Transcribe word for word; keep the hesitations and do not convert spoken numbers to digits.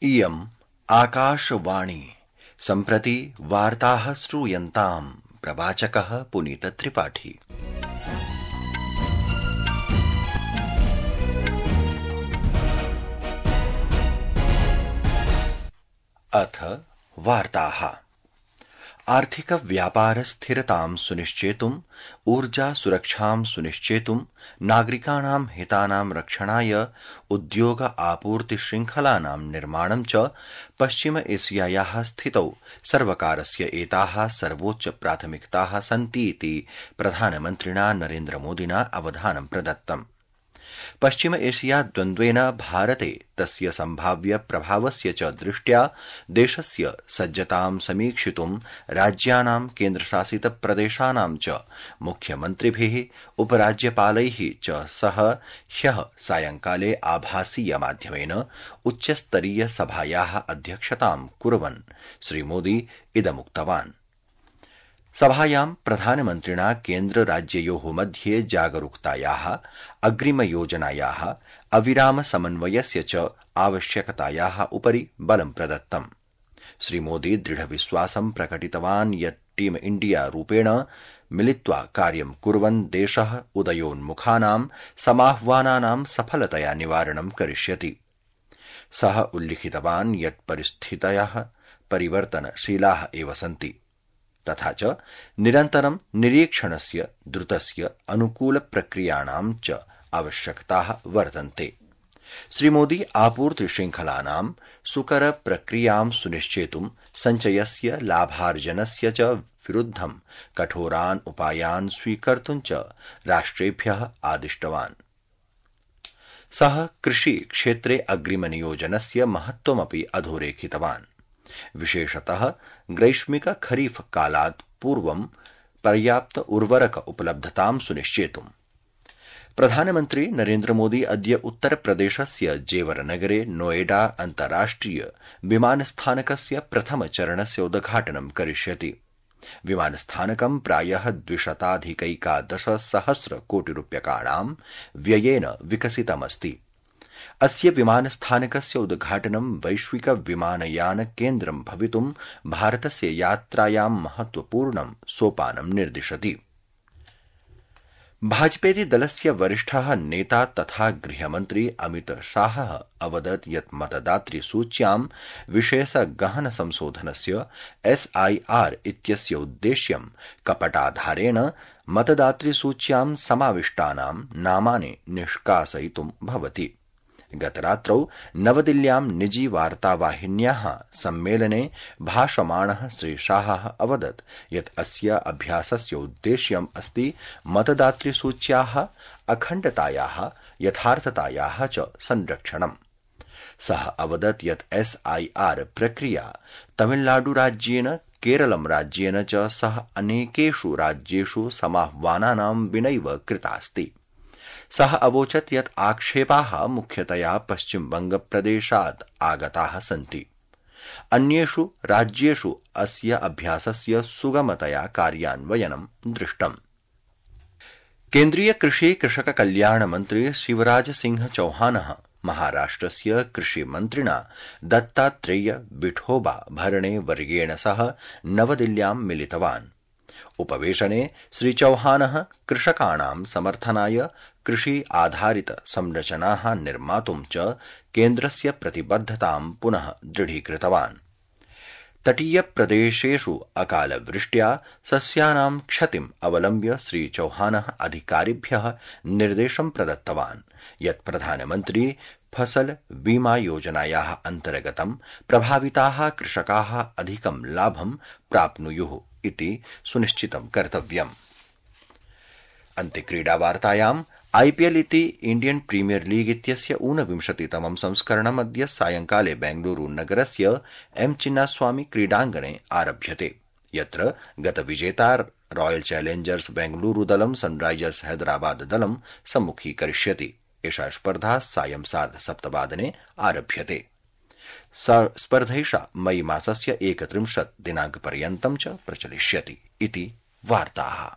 इयम् आकाशवाणी सम्प्रति वार्ताः श्रूयन्ताम्। प्रवाचकः पुनीत त्रिपाठी। अथ वार्ताः। आर्थिक व्यापार स्थिरतां सुनिश्चेतुम्, ऊर्जा सुरक्षां सुनिश्चेतुम्, नागरिकाणां हितानां रक्षणाय उद्योग आपूर्ति शृङ्खलानां निर्माणं च पश्चिम एशियायाः स्थितौ सर्वकारस्य एताः सर्वोच्च प्राथमिकताः सन्ति इति प्रधानमन्त्रिणा नरेन्द्रमोदिना अवधानं प्रदत्तम्। पश्चिम एशिया द्वन्द्वेन भारते तस्य सम्भाव्य प्रभावस्य च दृष्ट्या देशस्य सज्जतां समीक्षितुं राज्यानां केन्द्रशासित प्रदेशानां च मुख्यमन्त्रिभिः उपराज्यपालैः च सह ह्यः सायंकाले आभासीय माध्यमेन उच्चस्तरीय सभायाः अध्यक्षतां कुर्वन् श्रीमोदी इदमुक्तवान्। सभायां प्रधानमन्त्रिणा केन्द्र राज्ययोः मध्ये जागरूकतायाः, अग्रिमयोजनायाः, अविराम समन्वयस्य च आवश्यकतायाः उपरि बलं प्रदत्तम्। श्रीमोदी दृढविश्वासं प्रकटितवान् यत् टीम इण्डिया रूपेण मिलित्वा कार्यं कुर्वन् देशः उदयोन्मुखानां समाह्वानानां सफलतया निवारणं करिष्यति। सः उल्लिखितवान् यत् परिस्थितयः परिवर्तनशीलाः एव सन्ति, तथा च निरन्तरं निरीक्षणस्य, द्रुतस्य अनुकूलप्रक्रियाणां च आवश्यकताः वर्तन्ते। श्रीमोदी आपूर्ति शृङ्खलानां सुकर प्रक्रियां सुनिश्चेतुं सञ्चयस्य, लाभार्जनस्य च विरुद्धं कठोरान् उपायान् स्वीकर्तुं च राष्ट्रेभ्यः आदिष्टवान्। सः कृषि क्षेत्रे अग्रिमनियोजनस्य महत्त्वमपि अधोरेखितवान्। विशेषतः ग्रैष्मिक खरीफ कालात् पूर्वं पर्याप्त उर्वरक उपलब्धतां सुनिश्चेतुम्। प्रधानमन्त्री नरेन्द्र मोदी अद्य उत्तरप्रदेशस्य जेवर नगरे नोएडा अन्ताराष्ट्रिय विमानस्थानकस्य प्रथमचरणस्य उद्घाटनं करिष्यति। विमानस्थानकं प्रायः द्विशताधिकैकादश सहस्र कोटिरूप्यकाणां व्ययेन विकसितमस्ति। अस्य विमानस्थानकस्य उद्घाटनं वैश्विक विमानयान केन्द्रं भवितुं भारतस्य यात्रायां महत्वपूर्णं सोपानं निर्दिशति। भाजपेति दलस्य वरिष्ठः नेता तथा गृहमन्त्री अमित शाहः अवदत् यत् मतदातृसूच्यां विशेष गहन संशोधनस्य एस् आई आर् इत्यस्य उद्देश्यं कपटाधारेण मतदातृसूच्यां समाविष्टानां नामानि निष्कासयितुं भवति। गतरात्रौ नवदिल्ल्यां निजी वार्तावाहिन्याः सम्मेलने भाषमाणः श्री शाहः अवदत् यत् अस्य अभ्यासस्य उद्देश्यम् अस्ति मतदातृसूच्याः अखण्डतायाः, यथार्थतायाः च संरक्षणम्। सः अवदत् यत् एस् आई आर् प्रक्रिया तमिलनाडुराज्येन, केरलं राज्येन च सह अनेकेषु राज्येषु समाह्वानानां विनैव कृतास्ति। सः अवोचत् यत् आक्षेपाः मुख्यतया पश्चिमबंगप्रदेशात् आगताः सन्ति। अन्येषु राज्येषु अस्य अभ्यासस्य सुगमतया कार्यान्वयनं दृष्टम्। केन्द्रीय कृषि कृषक कल्याण मन्त्री शिवराज सिंह चौहानः महाराष्ट्रस्य कृषिमन्त्रिणा दत्तात्रेय विठोबा भरणे वर्येण सह नवदिल्ल्यां मिलितवान्। उपवेशने श्री चौहानः कृषकाणां समर्थनाय कृषि आधारित संरचनाः निर्मातुं च केन्द्रस्य प्रतिबद्धतां पुनः दृढीकृतवान्। तटीयप्रदेशेषु अकालवृष्ट्या सस्यानां क्षतिम् अवलम्ब्य श्री चौहानः अधिकारिभ्यः निर्देशं प्रदत्तवान् यत् प्रधानमन्त्री फसल बीमा योजनायाः अन्तर्गतं प्रभाविताः कृषकाः अधिकं लाभं प्राप्नुयुः इति सुनिश्चितं कर्तव्यम्। अन्ते क्रीडावार्तायाम् आईपीएल इति इण्डियन् प्रीमियर लीग इत्यस्य ऊनविंशतितमं संस्करणम् अद्य सायंकाले बेंगलुरू नगरस्य एम चिन्नास्वामी क्रीडाङ्गणे आरभ्यते, यत्र गतविजेता रॉयल चैलेंजर्स बेंगलुरू दलं सनराइजर्स हैदराबाद दलं सम्मुखीकरिष्यति। एषा स्पर्धा सायं सार्धसप्तवादने आरभ्यते। स्पर्धैषा मई मासस्य एकत्रिंशत् दिनाङ्कपर्यन्तं च प्रचलिष्यति इति वार्ताः।